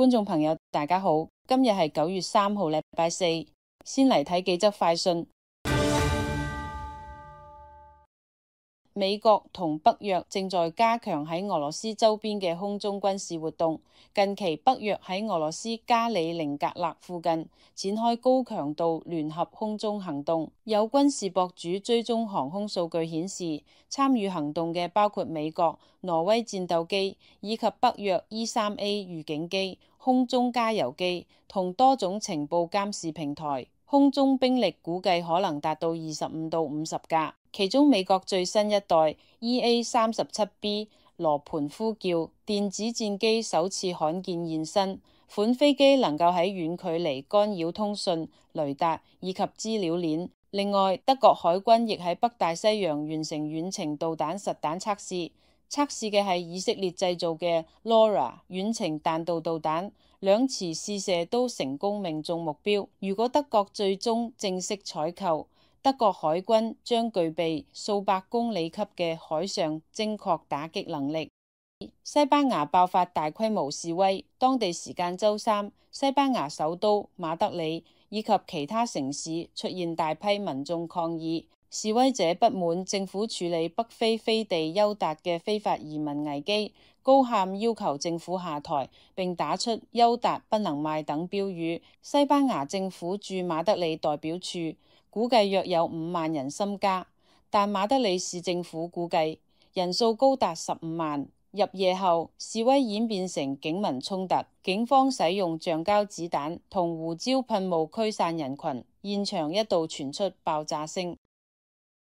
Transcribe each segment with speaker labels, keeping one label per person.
Speaker 1: 觀眾朋友大家好，今日係9月3號，禮拜四，先嚟睇幾則快訊。美國同北約正在加強喺俄羅斯周邊嘅空中軍事活動。近期北約喺俄羅斯加里寧格勒附近展開高強度聯合空中行動。有軍事博主追蹤航空數據顯示，參與行動嘅包括美國、挪威戰鬥機以及北約 E-3A 預警機、空中加油機同多種情報監視平台。空中兵力估計可能達到25到50架。其中美國最新一代 EA-37B 羅盤呼叫電子戰機首次罕見現身，款飛機能夠喺遠距離干擾通訊、雷達以及資料鏈。另外，德國海軍亦喺北大西洋完成遠程導彈實彈測試，測試嘅係以色列製造嘅 LoRa 遠程彈道導彈，兩次試射都成功命中目標。如果德國最終正式採購，德國海軍將具備數百公里級嘅海上精確打擊能力。西班牙爆發大規模示威，當地時間周三，西班牙首都馬德里以及其他城市出現大批民眾抗議。示威者不滿政府處理北非飛地休達嘅非法移民危機，高喊要求政府下台，並打出休達不能賣等標語。西班牙政府駐馬德里代表處估計約有5萬人參加，但馬德里市政府估計人數高達15萬。入夜後，示威演變成警民衝突，警方使用橡膠子彈同胡椒噴霧驅散人群，現場一度傳出爆炸聲。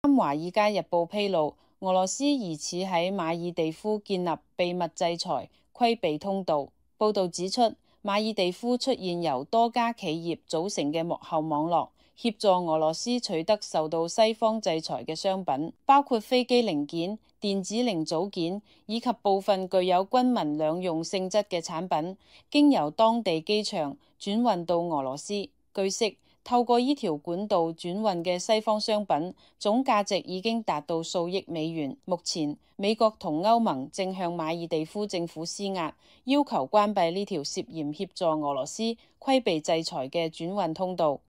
Speaker 1: 《華爾街日報》披露，俄羅斯疑似喺馬爾地夫建立秘密制裁規避通道。報道指出，馬爾地夫出現由多家企業組成嘅幕後網絡，協助俄羅斯取得受到西方制裁嘅商品，包括飛機零件、電子零組件以及部分具有軍民兩用性質嘅產品，經由當地機場轉運到俄羅斯。據悉，透過呢條管道轉運嘅西方商品總價值已經達到數億美元。目前，美國同歐盟正向馬爾地夫政府施壓，要求關閉呢條涉嫌協助俄羅斯規避制裁嘅轉運通道。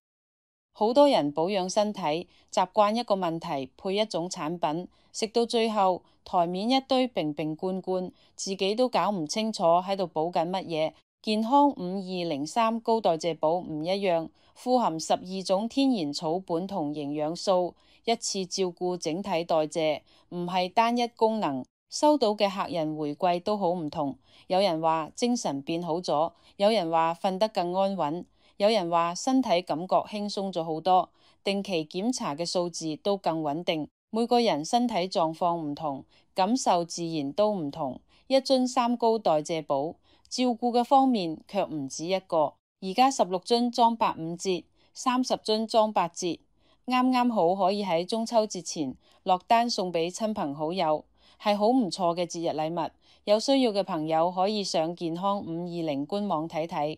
Speaker 1: 好多人保養身體，習慣一個問題配一種產品，食到最後台面一堆瓶瓶罐罐，自己都搞唔清楚喺度補緊乜嘢。健康5203高代謝寶唔一樣，富含12種天然草本同營養素，一次照顧整體代謝，唔係單一功能。收到嘅客人回饋都好唔同，有人話精神變好咗，有人話瞓得更安穩，有人話身體感覺輕鬆咗好多，定期檢查嘅數字都更穩定。每個人身體狀況唔同，感受自然都唔同。一樽3高代謝寶，照顧嘅方面卻唔止一個。而家16樽裝85折，30樽裝8折，啱啱好可以喺中秋節前落單送俾親朋好友，係好唔錯嘅節日禮物。有需要嘅朋友可以上健康520官網睇睇。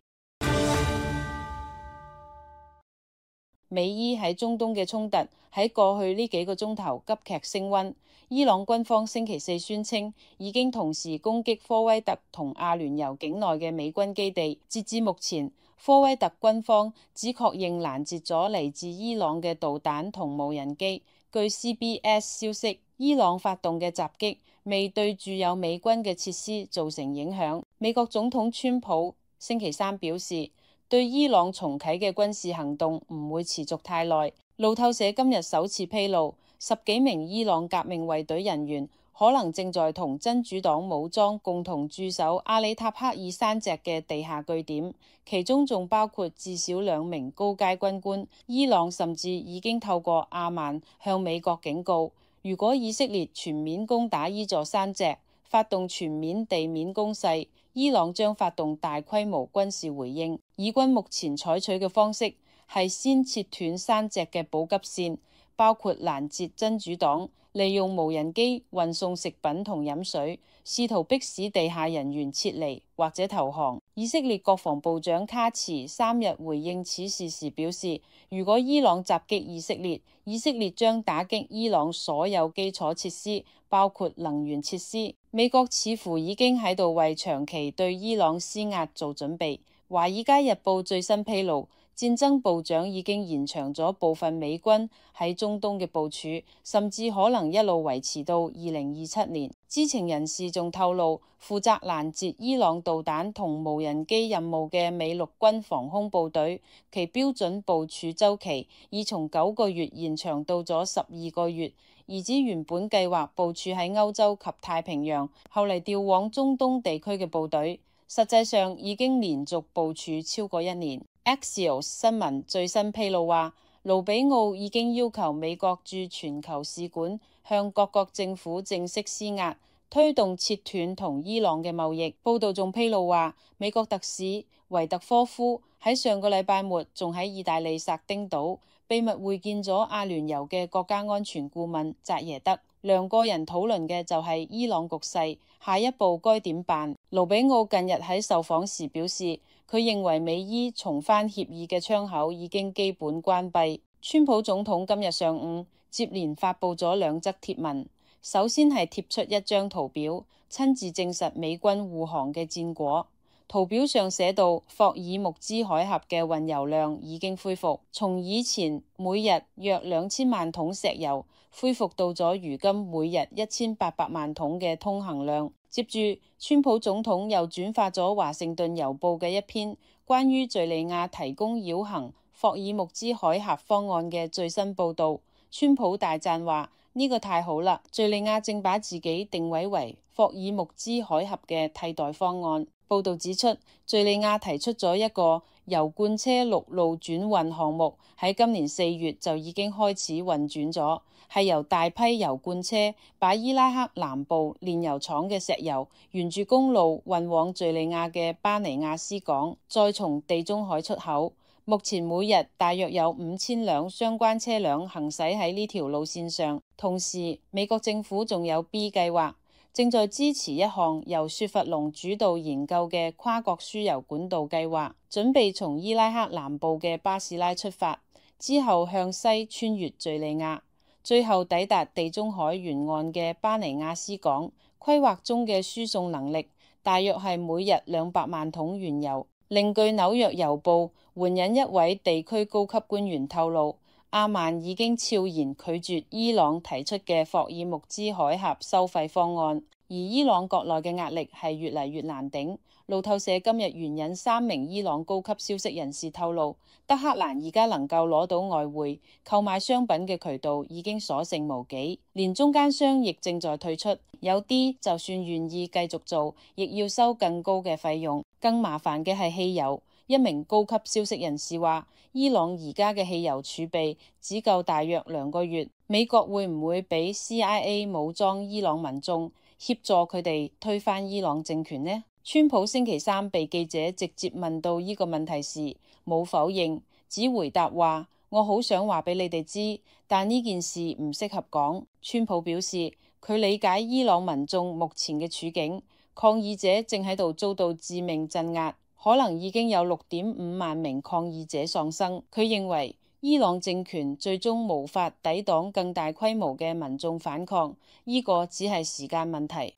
Speaker 1: 美伊喺中東嘅衝突喺過去呢幾個鐘頭急劇升溫。伊朗軍方星期四宣稱已經同時攻擊科威特同阿聯酋境內嘅美軍基地。截至目前，科威特軍方只確認攔截咗嚟自伊朗嘅導彈同無人機。據 CBS 消息，伊朗發動嘅襲擊未對駐有美軍嘅設施造成影響。美國總統川普星期三表示，對伊朗重啟嘅軍事行動唔會持續太耐。路透社今日首次披露，10幾名伊朗革命衛隊人員可能正在同真主黨武裝共同駐守阿里塔克爾山脊嘅地下據點，其中仲包括至少2名高階軍官。伊朗甚至已經透過阿曼向美國警告，如果以色列全面攻打呢座山脊，發動全面地面攻勢，伊朗將發動大規模軍事回應。以軍目前採取嘅方式係先切斷山脊嘅補給線，包括攔截真主黨，利用無人機運送食品同飲水，試圖迫使地下人員撤離或者投降。以色列國防部長卡茨3日回應此事時表示，如果伊朗襲擊以色列，以色列將打擊伊朗所有基礎設施，包括能源設施。美國似乎已經喺度為長期對伊朗施壓做準備。華爾街日報最新披露，戰爭部長已經延長咗部分美軍喺中東嘅部署，甚至可能一路維持到2027年。知情人士仲透露，負責攔截伊朗導彈同無人機任務嘅美陸軍防空部隊，其標準部署週期已從9個月延長到咗12個月，而指原本計劃部署喺歐洲及太平洋，後嚟調往中東地區嘅部隊，實際上已經連續部署超過1年。Axios 新聞最新披露話，盧比奧已經要求美國駐全球使館向各國政府正式施壓，推動切斷同伊朗嘅貿易。報道仲披露話，美國特使維特科夫喺上個禮拜末仲喺意大利薩丁島秘密會見咗阿聯酋嘅國家安全顧問扎耶德，兩個人討論嘅就係伊朗局勢，下一步該點辦。盧比奧近日喺受訪時表示，佢認為美伊重返協議嘅窗口已經基本關閉。川普總統今日上午接連發布咗2則貼文，首先係貼出一張圖表，親自證實美軍護航嘅戰果。圖表上寫到，霍爾木茲海峽嘅運油量已經恢復，從以前每日約2000萬桶石油，恢復到咗如今每日1800萬桶嘅通行量。接住，川普總統又轉發咗華盛頓郵報嘅一篇關於敘利亞提供繞行霍爾木茲海峽方案嘅最新報導。川普大讚話：呢個太好啦！敘利亞正把自己定位為霍爾木茲海峽嘅替代方案。報導指出，敘利亞提出咗一個油罐車陸路轉運項目，喺今年4月就已經開始運轉咗，係由大批油罐車把伊拉克南部煉油廠嘅石油沿住公路運往敘利亞嘅巴尼亞斯港，再從地中海出口。目前每日大約有5000輛相關車輛行駛喺呢條路線上。同時，美國政府仲有 B 計劃，正在支持一項由雪佛龍主導研究嘅跨國輸油管道計劃，準備從伊拉克南部嘅巴士拉出發，之後向西穿越敘利亞，最後抵達地中海沿岸嘅巴尼亞斯港。規劃中嘅輸送能力大約係每日200萬桶原油。另據紐約郵報援引一位地區高級官員透露，阿曼已經悄然拒絕伊朗提出嘅霍爾木茲海峽收費方案，而伊朗國內嘅壓力係越嚟越難頂。路透社今日援引3名伊朗高級消息人士透露，德黑蘭而家能夠攞到外匯購買商品嘅渠道已經所剩無幾，連中間商亦正在退出，有啲就算願意繼續做，亦要收更高嘅費用。更麻煩嘅係汽油。一名高級消息人士話，伊朗而家嘅汽油儲備只夠大約2個月。美國會唔會俾 CIA 武裝伊朗民眾，協助佢哋推翻伊朗政權呢？川普星期3被記者直接問到呢個問題時，冇否認，只回答話：我好想話俾你哋知，但呢件事唔適合講。川普表示，佢理解伊朗民眾目前嘅處境，抗議者正喺度遭到致命鎮壓，可能已經有6.5萬名抗議者喪生。佢認為伊朗政權最終無法抵擋更大規模嘅民眾反抗，呢個只係時間問題。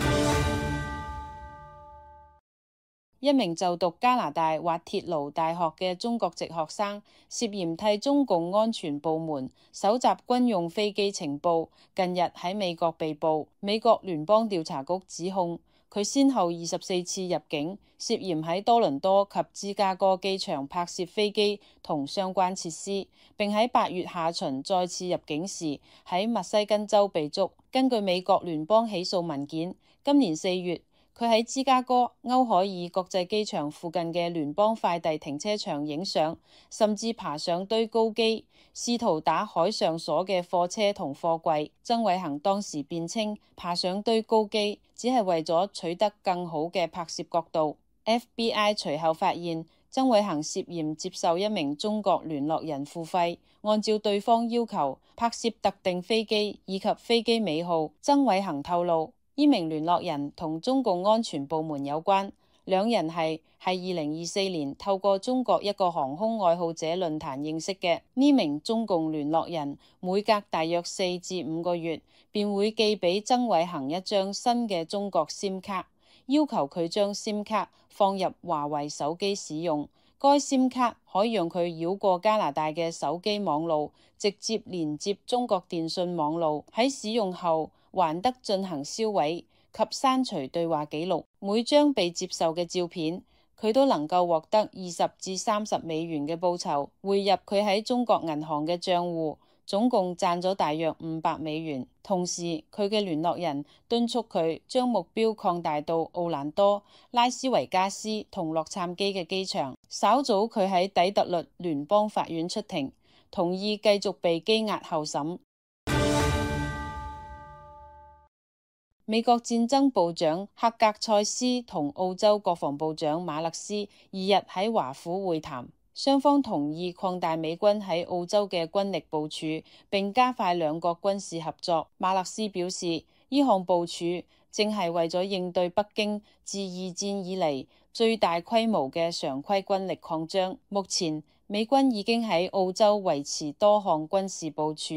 Speaker 1: 一名就讀加拿大滑鐵盧大學嘅中國籍學生涉嫌替中共安全部門搜集軍用飛機情報，近日喺美國被捕。美國聯邦調查局指控佢先後24次入境，涉嫌喺多倫多及芝加哥機場拍攝飛機同相關設施，並喺8月下旬再次入境時喺密西根州被捉。根據美國聯邦起訴文件，今年4月，佢喺芝加哥歐海爾國際機場附近嘅聯邦快遞停車場影相，甚至爬上堆高機，試圖打海上鎖嘅貨車同貨櫃。曾偉恒當時辯稱，爬上堆高機只係為咗取得更好嘅拍攝角度。FBI 隨後發現曾偉恒涉嫌接受一名中國聯絡人付費，按照對方要求拍攝特定飛機以及飛機尾號。曾偉恒透露，呢名聯絡人同中共安全部門有關，兩人係2024年透過中國一個航空愛好者論壇認識嘅。呢名中共聯絡人每隔大約4至5個月便會寄俾曾偉恒一張新嘅中國 SIM 卡，要求佢將 SIM 卡放入華為手機使用。該 SIM 卡可以讓佢繞過加拿大嘅手機網路，直接連接中國電信網路。喺使用後還得進行銷毀及刪除對話記錄。每張被接受嘅照片，佢都能夠獲得20至30美元嘅報酬，匯入佢喺中國銀行嘅賬戶，總共賺咗大約500美元。同時，佢嘅聯絡人敦促佢將目標擴大到奧蘭多、拉斯維加斯同洛杉磯嘅機場。稍早佢喺底特律聯邦法院出庭，同意繼續被羈押候審。美國戰爭部長克格塞斯同澳洲國防部長馬勒斯2日喺華府會談，雙方同意擴大美軍喺澳洲嘅軍力部署，並加快兩國軍事合作。馬勒斯表示，呢項部署正係為咗應對北京自2戰以嚟最大規模嘅常規軍力擴張。目前美軍已經喺澳洲維持多項軍事部署，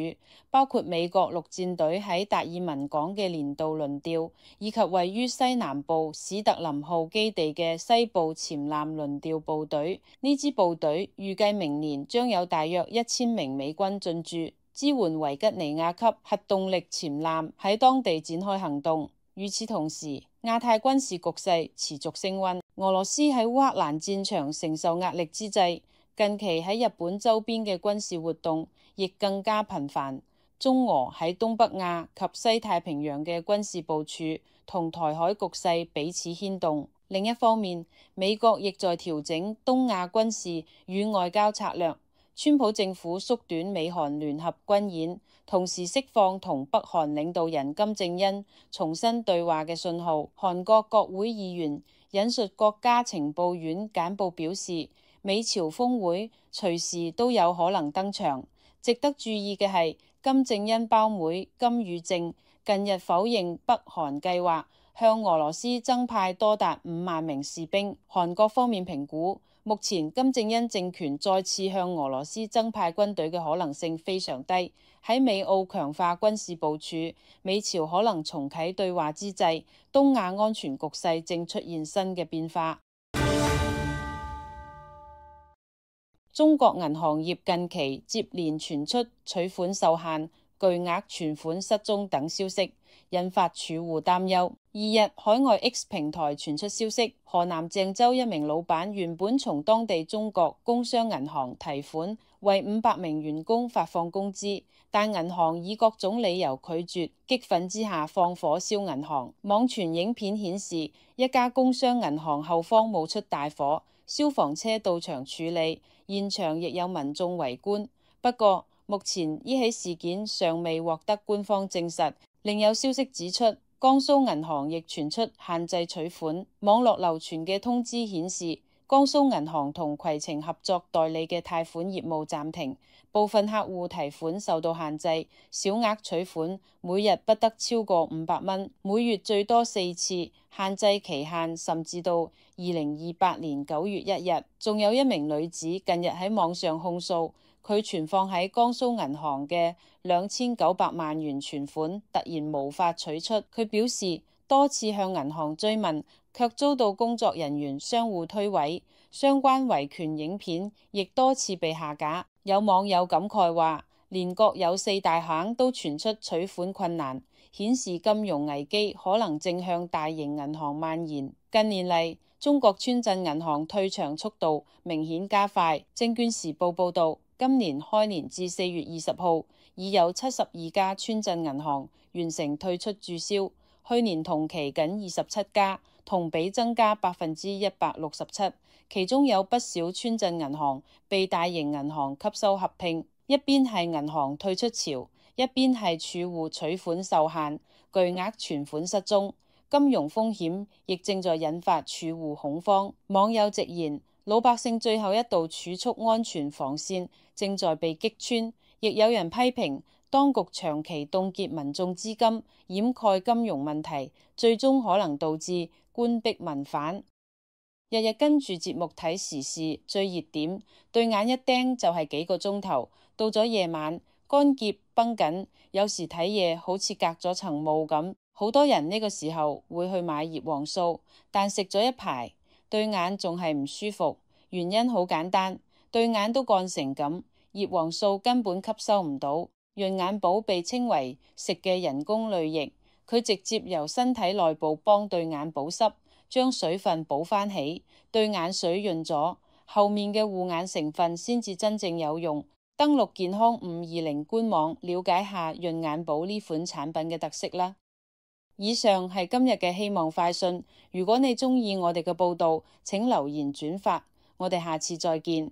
Speaker 1: 包括美國陸戰隊喺達爾文港嘅年度輪調，以及位於西南部史特林號基地嘅西部潛艦輪調部隊。呢支部隊預計明年將有大約1000名美軍進駐，支援維吉尼亞級核動力潛艦喺當地展開行動。與此同時，亞太軍事局勢持續升溫，俄羅斯喺烏克蘭戰場承受壓力之際，近期喺日本周邊嘅軍事活動亦更加頻繁。中俄喺東北亞及西太平洋嘅軍事部署同台海局勢彼此牽動。另一方面，美國亦在調整東亞軍事與外交策略。川普政府縮短美韓聯合軍演，同時釋放同北韓領導人金正恩重新對話嘅信號。韓國國會議員引述國家情報院簡報表示，美朝峰會隨時都有可能登場。值得注意嘅係，金正恩胞妹金與正近日否認北韓計劃向俄羅斯增派多達5萬名士兵。韓國方面評估，目前金正恩政權再次向俄羅斯增派軍隊嘅可能性非常低。喺美澳強化軍事部署、美朝可能重啟對話之際，東亞安全局勢正出現新嘅變化。中國銀行業近期接連傳出取款受限、巨額存款失蹤等消息，引發儲戶擔憂。2日，海外 X 平台傳出消息，河南鄭州一名老闆原本從當地中國工商銀行提款，為500名員工發放工資，但銀行以各種理由拒絕，激憤之下放火燒銀行。網傳影片顯示，一家工商銀行後方冒出大火，消防車到場處理，現場亦有民眾圍觀。不過，目前呢起事件尚未獲得官方證實。另有消息指出，江蘇銀行亦傳出限制取款。網絡流傳嘅通知顯示，江蘇銀行同攜程合作代理嘅貸款業務暫停，部分客戶提款受到限制，小額取款每日不得超過500蚊，每月最多4次，限制期限甚至到2028年9月1日。仲有一名女子近日喺網上控訴，佢存放喺江蘇銀行嘅2900萬元存款突然無法取出。佢表示多次向銀行追問，卻遭到工作人員相互推諉，相關維權影片亦多次被下架。有網友感慨話，連國有4大行都傳出取款困難，顯示金融危機可能正向大型銀行蔓延。近年嚟，中國村鎮銀行退場速度明顯加快。證券時報報道，今年開年至4月20號，已有72家村鎮銀行完成退出註銷，去年同期僅27家，同比增加167%。其中有不少村鎮銀行被大型銀行吸收合併，一邊係銀行退出潮，一邊係儲戶取款受限，巨額存款失蹤，金融風險亦正在引發儲戶恐慌。網友直言，老百姓最後一道儲蓄安全防線正在被擊穿，亦有人批評當局長期凍結民眾資金，掩蓋金融問題，最終可能導致官逼民反。日日跟住節目睇時事最熱點，對眼一盯就係幾個鐘頭，到咗夜晚乾澀繃緊，有時睇嘢好似隔咗層霧咁。好多人呢個時候會去買葉黃素，但食咗一排，對眼仲係唔舒服，原因好簡單，對眼都乾成咁，葉黃素根本吸收唔到。潤眼寶被稱為食嘅人工淚液，佢直接由身體內部幫對眼保濕，將水分補返起，對眼水潤咗，後面嘅護眼成分先至真正有用。登錄健康520官網，了解下潤眼寶呢款產品嘅特色啦。以上係今日嘅希望快訊，如果你鍾意我哋嘅報道，請留言轉發，我哋下次再見。